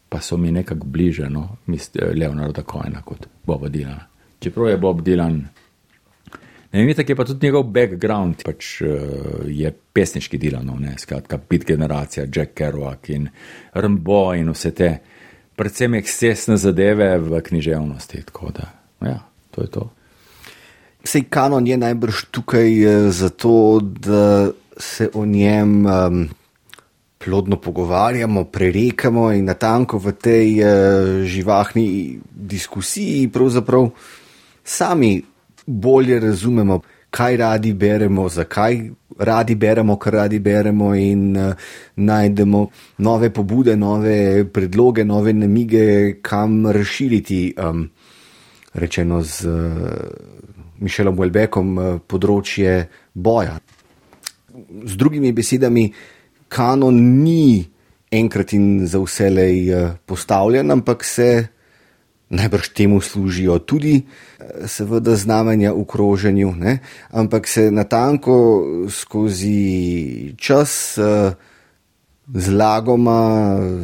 pa so mi nekako bliže, no, Leonarda Cohena kot Boba Dylana. Čeprav je Bob Dylan, ne vem, tako je pa tudi njegov background, pač je pesniški Dylanov, ne, skratka, Beat generacija, Jack Kerouac in Rimbaud in vse te, predvsem ekscesne zadeve v književnosti, tako da, ja, to je to. Sej kanon je najbrž tukaj zato, da se o njem plodno pogovarjamo, prerekamo in natanko v tej živahni diskusiji pravzaprav sami bolje razumemo, kaj radi beremo, zakaj radi beremo, kar radi beremo in najdemo nove pobude, nove predloge, nove namige, kam razširiti, rečeno z Michelom Houellebecqom, področje boja. Z drugimi besedami, kanon ni enkrat in za vselej postavljen, ampak se najbrž temu služijo tudi seveda znamenja v kroženju, ne? Ampak se natanko skozi čas zlagoma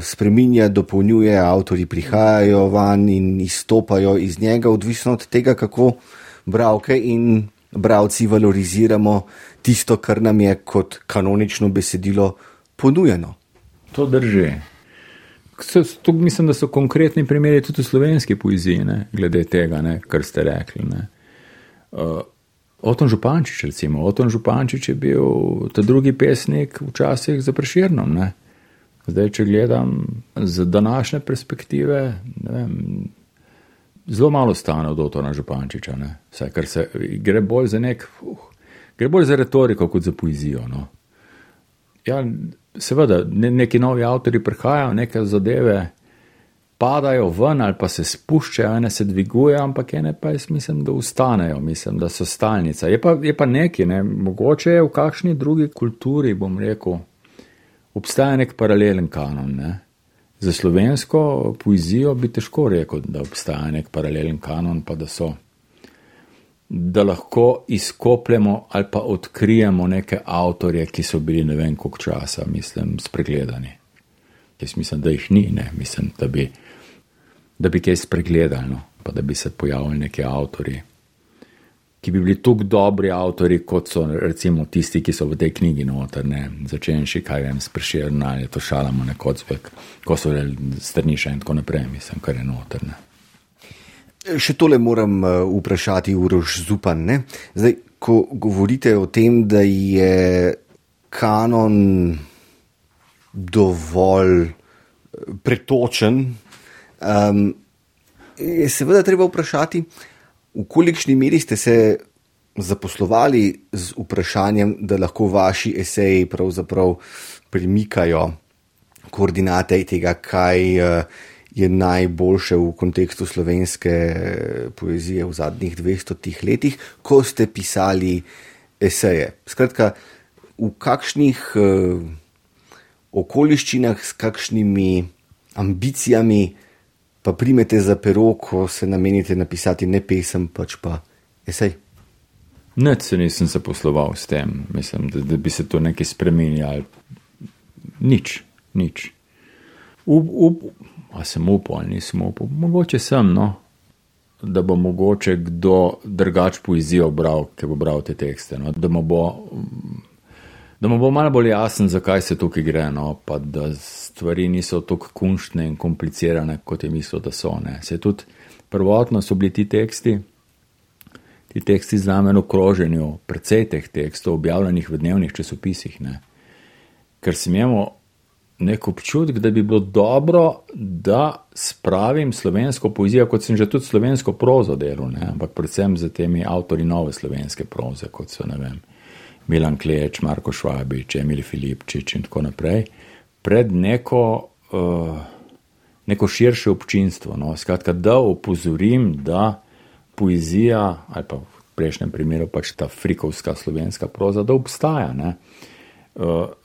spreminja, dopolnjuje, avtorji prihajajo van in izstopajo iz njega, odvisno od tega, kako bralke in bralci valoriziramo tisto, kar nam je kot kanonično besedilo ponujeno. To drži. To mislim, da so konkretni primeri tudi v slovenski poeziji, ne, glede tega, ne, kar ste rekli. Oton Župančič, recimo. Oton Župančič je bil ta drugi pesnik včasih za Prešernom. Ne. Zdaj, če gledam z današnje perspektive, ne vem, zelo malo stane od Otona Župančiča. Ne. Vsaj, ker se gre bolj za gre bolj za retoriko kot za poezijo. No. Ja, seveda, neki novi avtori prihajajo, neke zadeve padajo ven ali pa se spuščajo, ene se dvigujejo, ampak ene pa jaz mislim, da ustanejo, mislim, da so stalnica. Je pa neki, ne, mogoče je v kakšni drugi kulturi, bom rekel, obstaja nek paralelen kanon. Ne. Za slovensko poezijo bi težko rekel, da obstaja nek paralelen kanon, pa da lahko izkopljemo ali pa odkrijemo neke avtorje, ki so bili ne vem koliko časa, mislim, spregledani. Jaz mislim, da jih ni, ne, mislim, da bi kaj spregledali, no, pa da bi se pojavili neki avtorji, ki bi bili tako dobri avtorji, kot so recimo tisti, ki so v tej knjigi noter, ne, začenši, kaj vem, s Prešerna, ali to Šalamo, Kocbek, ko so Strniša in tako naprej, mislim, kar je noter, ne. Še tole moram vprašati Uroš Zupan, ne? Zdaj, ko govorite o tem, da je kanon dovolj pretočen, je seveda treba vprašati, v kolikšni meri ste se zaposlovali z vprašanjem, da lahko vaši eseji pravzaprav premikajo koordinate tega, kaj je najboljše v kontekstu slovenske poezije v zadnjih 200 letih, ko ste pisali eseje. Skratka, v kakšnih okoliščinah, s kakšnimi ambicijami pa primete za pero, ko se namenite napisati ne pesem, pač pa esej? Nič se nisem zaposloval s tem. Mislim, da bi se to nekaj spremenjalo. Nič. A sem upal ali nisem upal? Mogoče sem, no. Da bo mogoče kdo drugač poezijo bral, ki bo bral te tekste. No. Da mu bo malo bolj jasen, zakaj se tukaj gre, no. Pa da stvari niso tako kunštne in komplicirane, kot je mislil, da so. Ne. Se tudi prvotno so bili ti teksti z namen v kroženju, precej teh tekstov objavljenih v dnevnih časopisih. Ne. Ker sem imel nek občutek, da bi bilo dobro, da spravim slovensko poezijo, kot sem že tudi slovensko prozo delal, ne? Ampak predvsem za temi avtori nove slovenske proze, kot so, ne vem, Milan Kleč, Marko Švabič, Emil Filipčič in tako naprej, pred neko širše občinstvo. No? Skratka, da opozorim, da poezija, ali pa v prejšnjem primeru pač ta frikovska slovenska proza, da obstaja, ne?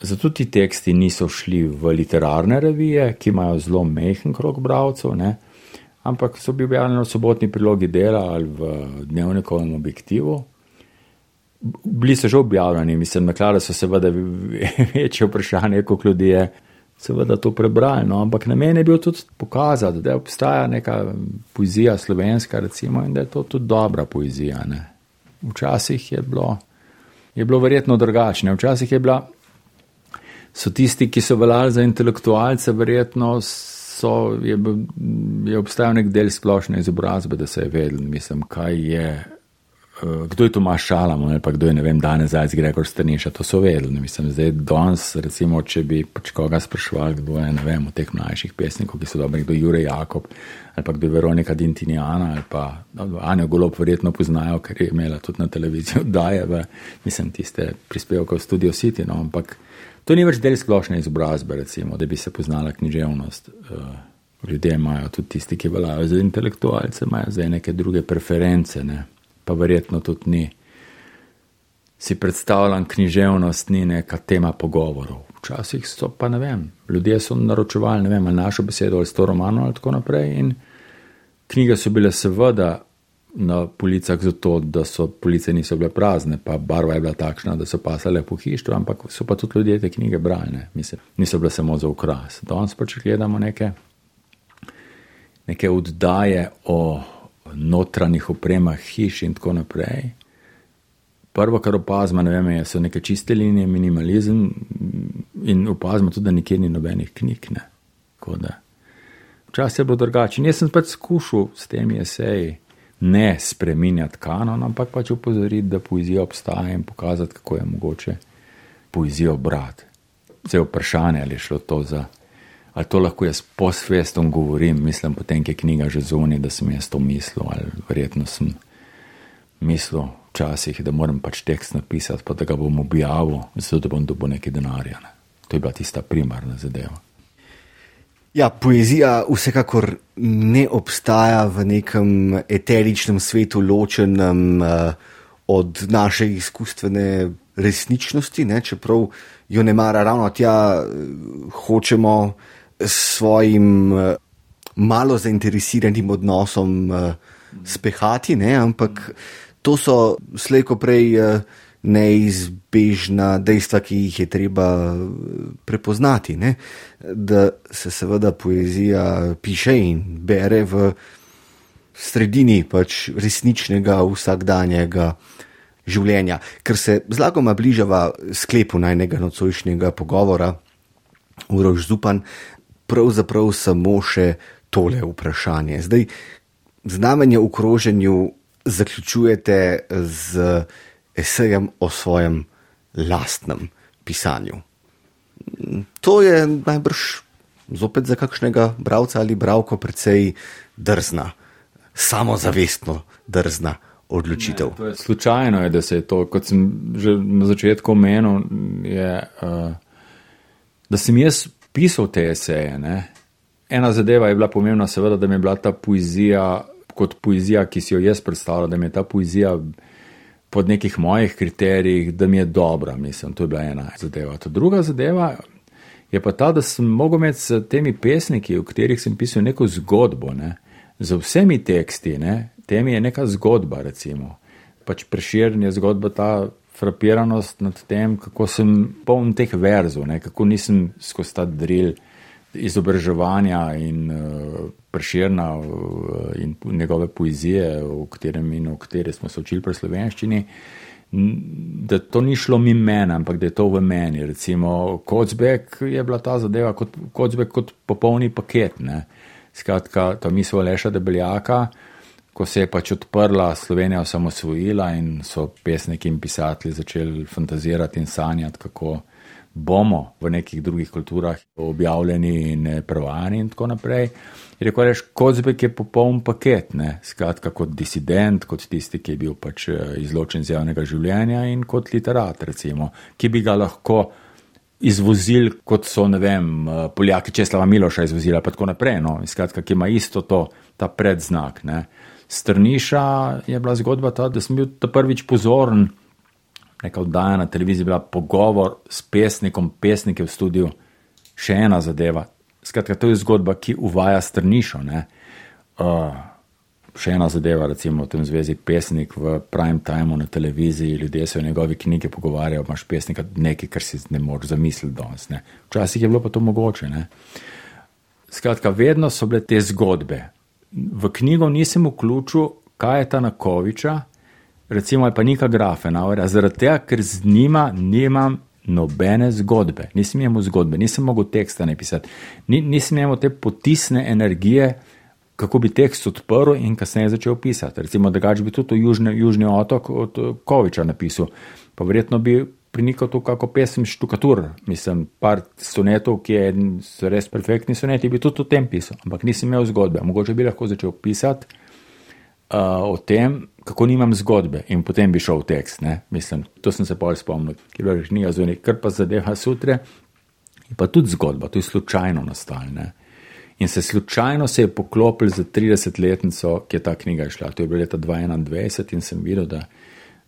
Zato ti teksti niso šli v literarne revije, ki imajo zelo majhen krog bralcev, ne? Ampak so bili objavljeni v sobotni prilogi Dela ali v Dnevnikovem objektivu. Bili so že objavljeni, mislim, naklade so seveda večje vprašanje, koliko ljudi je seveda to prebrali, no? Ampak namen je bil tudi pokazati, da obstaja neka poezija slovenska, recimo, in da je to tudi dobra poezija, ne? Včasih je bilo verjetno drugačne, včasih so tisti, ki so veljali za intelektualce, verjetno je obstajal nek del splošne izobrazbe, da se je vedel, mislim, kaj je kdo je Tomaž Šalamon ali pa kdo je, ne vem, Dane Zajc, Gregor Strniša, to so vedeli. Ne mislim, zdaj danes, recimo, če bi pač koga spraševali, kdo je, ne vem, od teh mlajših pesnikov, ki so dobri, kdo je Jure Jakob ali pa kdo je Veronika Dintinjana ali pa Anjo Golob verjetno poznajo, ker je imela tudi na televiziji oddaje mislim, tiste prispevke v Studio City, no, ampak to ni več del splošne izobrazbe, recimo, da bi se poznala književnost. Ljudje imajo, tudi tisti, ki veljajo za intelektualce, imajo zdaj neke druge preference, ne. Pa verjetno tudi ni. Si predstavljam, književnost ni neka tema pogovorov. Včasih so pa, ne vem, ljudje so naročevali, ne vem, ali našo besedo, ali 100 romanov, ali tako naprej, in knjige so bile seveda na policah zato, da so police niso bile prazne, pa barva je bila takšna, da so pasale po hištvu, ampak so pa tudi ljudje te knjige brali, ne. Mislim, niso bile samo za ukras. Danes pa, če gledamo neke oddaje o notranjih opremah hiš in tako naprej. Prvo, kar opazimo, ne vem, so neke čiste linije, minimalizem in opazimo tudi, da nikjer ni nobenih knjig, ne. Tako da, včasih je bilo drugače. Jaz sem pač skušal s temi eseji ne spreminjati kanon, ampak pač upozoriti, da poezija obstaja in pokazati, kako je mogoče poezijo brati. Vse vprašanje, ali je šlo to za ali to lahko jaz posvestom govorim, mislim potem, ki je knjiga že zunaj, da sem jaz to mislil, ali verjetno sem mislil včasih, da moram pač tekst napisati, pa da ga bom objavil, zato da bom dobil nekaj denarja. Ne. To je bila tista primarna zadeva. Ja, poezija vsekakor ne obstaja v nekem eteričnem svetu, ločenem od naše izkustvene resničnosti, ne, čeprav jo ne mara ravno tja, hočemo s svojim malo zainteresiranim odnosom spehati, ne, ampak to so slej ko prej neizbežna dejstva, ki jih je treba prepoznati, ne, da se seveda poezija piše in bere v sredini pač resničnega vsakdanjega življenja, ker se zlagoma bližava sklepu najnega nocojšnjega pogovora. Uroš Zupan, pravzaprav samo še tole vprašanje. Zdaj, znamenje v kroženju zaključujete z esejem o svojem lastnem pisanju. To je najbrž zopet za kakšnega bralca ali bralko precej drzna, samozavestno drzna odločitev. Ne, to je slučajno, da se je to, kot sem že na začetku omenil, da sem jaz pisal te eseje. Ne. Ena zadeva je bila pomembna, seveda, da mi je bila ta poezija, kot poezija, ki si jo jaz predstavljal, da mi je ta poezija pod nekih mojih kriterijih, da mi je dobra, mislim, to je bila ena zadeva. Ta druga zadeva je pa ta, da sem mogel imeti s temi pesniki, v katerih sem pisal neko zgodbo, ne, z vsemi teksti, ne, temi je neka zgodba, recimo. Pač Prešeren je zgodba, ta frapiranost nad tem, kako sem poln teh verzov, ne, kako nisem skozi ta drill izobraževanja in Prešerna in njegove poezije, v kateri smo se učili pri slovenščini, da to ni šlo mimo mene, ampak da je to v meni. Recimo, Kocbek je bila ta zadeva, Kocbek kot popolni paket, ne. Skratka, ta misel Aleša Debeljaka, ko se je pač odprla, Slovenija osamosvojila in so pesniki in pisatelji začeli fantazirati in sanjati, kako bomo v nekih drugih kulturah objavljeni in prevajani in tako naprej. Je rekel, Kocbek je popoln paket, ne, skratka kot disident, kot tisti, ki je bil pač izločen z javnega življenja in kot literat, recimo, ki bi ga lahko izvozili, kot so, ne vem, Poljaki Česlava Miloša izvozila, pa tako naprej, no, skratka, ki ima isto to, ta predznak, ne. Strniša je bila zgodba ta, da sem bil ta prvič pozoren, neka oddaja na televiziji bila pogovor s pesnikom, pesnike v studiu, še ena zadeva. Skratka, to je zgodba, ki uvaja Strnišo, ne. Še ena zadeva, recimo v tem zvezi pesnik v prime timeu na televiziji, ljudje se o njegovi knjigi pogovarjajo, imaš pesnika nekaj, kar si ne moreš zamisliti danes, ne. Včasih je bilo pa to mogoče, ne. Skratka, vedno so bile te zgodbe. V knjigo nisem vključil Kajeta Nakoviča, recimo ali pa Nika Grafenauerja, zaradi tega, ker z njima nimam nobene zgodbe. Nisem imel zgodbe, nisem mogel teksta napisati, nisem imel te potisne energije kako bi tekst odprl in kasneje začel pisati. Recimo, drugače bi tudi Južni otok od Koviča napisal, pa verjetno bi prinikal tu kako pesem Štukatur, mislim, par sonetov, so res perfektni soneti, bi tudi o tem pisal, ampak nisem imel zgodbe. Mogoče bi lahko začel pisati o tem, kako nimam zgodbe in potem bi šel v tekst, ne, mislim, to sem se pol spomnil, ki je bila knjiga zunaj, kar pa zadeva Sutre, je pa tudi zgodba, to je slučajno nastalo, ne. In slučajno se je poklopil za 30-letnico, ki je ta knjiga išla. To je bilo leta 2021 in sem videl, da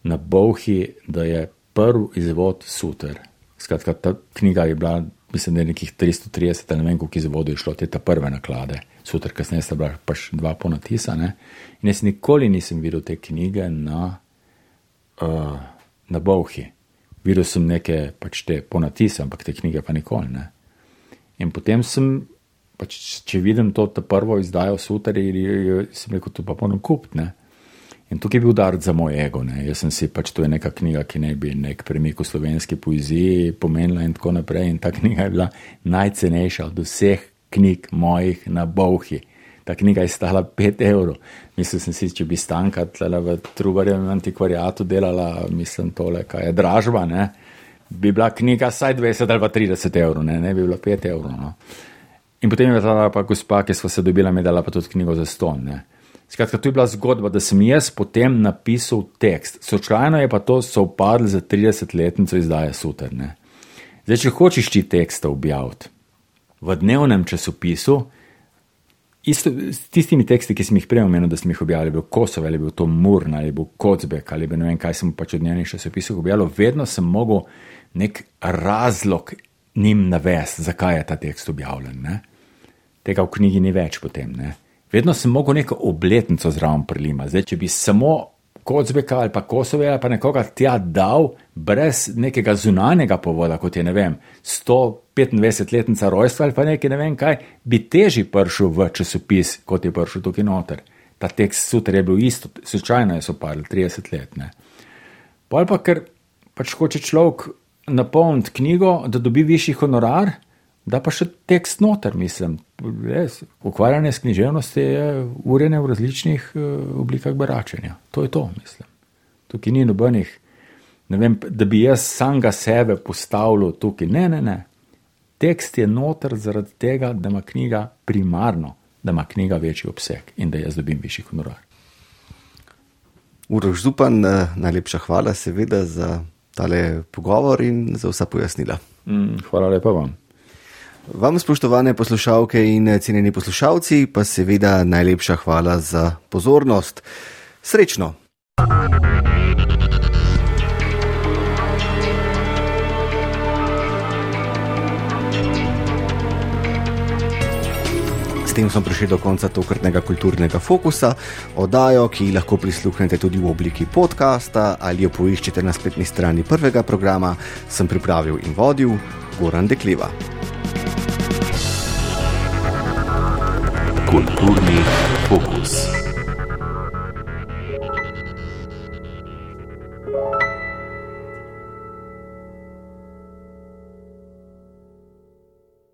na Bolhi, da je prvi izvod Suter. Skratka, ta knjiga je bila, mislim, da je nekih 330, ne vem, koliko izvodov je šlo, te ta prve naklade. Suter, kasneje sta bila pač 2 ponatisa, ne. In jaz nikoli nisem videl te knjige na Bolhi. Videl sem neke pač te ponatise, ampak te knjige pa nikoli, ne. In potem sem pač, če vidim to prvo izdajo Suterja, sem rekel, to pa moram kupiti, ne. In tukaj je bil udarec za moj ego, ne. Jaz sem si, pač to je neka knjiga, ki ne bi nek premik v slovenski poeziji pomenila in tako naprej. In ta knjiga je bila najcenejša od vseh knjig mojih na Bolhi. Ta knjiga je stala 5 €. Mislil sem si, če bi Stanka tlele v Trubarjevem antikvariatu delala, mislim, tole, kaj je dražba, ne, bi bila knjiga saj 20 ali pa 30 €, ne bi bila 5 €, no. In potem je ta pa gospa, ki sva se dobila, mi dala pa tudi knjigo za ston, ne. Skratka, to je bila zgodba, da sem jaz potem napisal tekst. Slučajno je pa to sovpadlo za 30-letnico izdaje Suter, ne. Zdaj, če hočeš ti teksta objaviti v dnevnem časopisu, isto s tistimi teksti, ki sem jih prej omenil, da sem jih objavil, ali bil Kosov, ali bil to Murn, ali bil Kocbek, ali ne vem, kaj sem pač od dnevnih časopisov objavil, vedno sem mogel nek razlog njim navesti, zakaj je ta tekst objavljen, ne. Tega v knjigi ni več potem, ne. Vedno sem mogel neko obletnico zraven prilima. Zdaj, če bi samo Kocbeka ali pa Kosove ali pa nekoga tja dal, brez nekega zunanjega povoda, kot je, ne vem, 125-letnica rojstva ali pa nekaj, ne vem kaj, bi težje prišel v časopis, kot je prišel tukaj noter. Ta tekst Suter je bil isto, slučajno je sopadl, 30 let, ne. Pol pa, ker pač hoče človek napolniti knjigo, da dobi višji honorar, da pa še tekst noter, mislim. Res, ukvarjanje s književnosti je urjene v različnih oblikah beračenja. To je to, mislim. Tukaj ni nobenih, ne vem, da bi jaz samega sebe postavljal tukaj. Ne. Tekst je noter zaradi tega, da ima knjiga primarno, da ima knjiga večji obseg in da jaz dobim višji honorar. Uroš Zupan, najlepša hvala seveda za tale pogovor in za vsa pojasnila. Hvala lepa vam. Vam, spoštovane poslušalke in cenjeni poslušalci, pa seveda najlepša hvala za pozornost. Srečno! S tem smo prišli do konca tokratnega kulturnega fokusa, oddajo, ki lahko prisluhnete tudi v obliki podcasta ali jo poiščete na spletni strani prvega programa, sem pripravil in vodil Goran Dekliva. Kulturni fokus.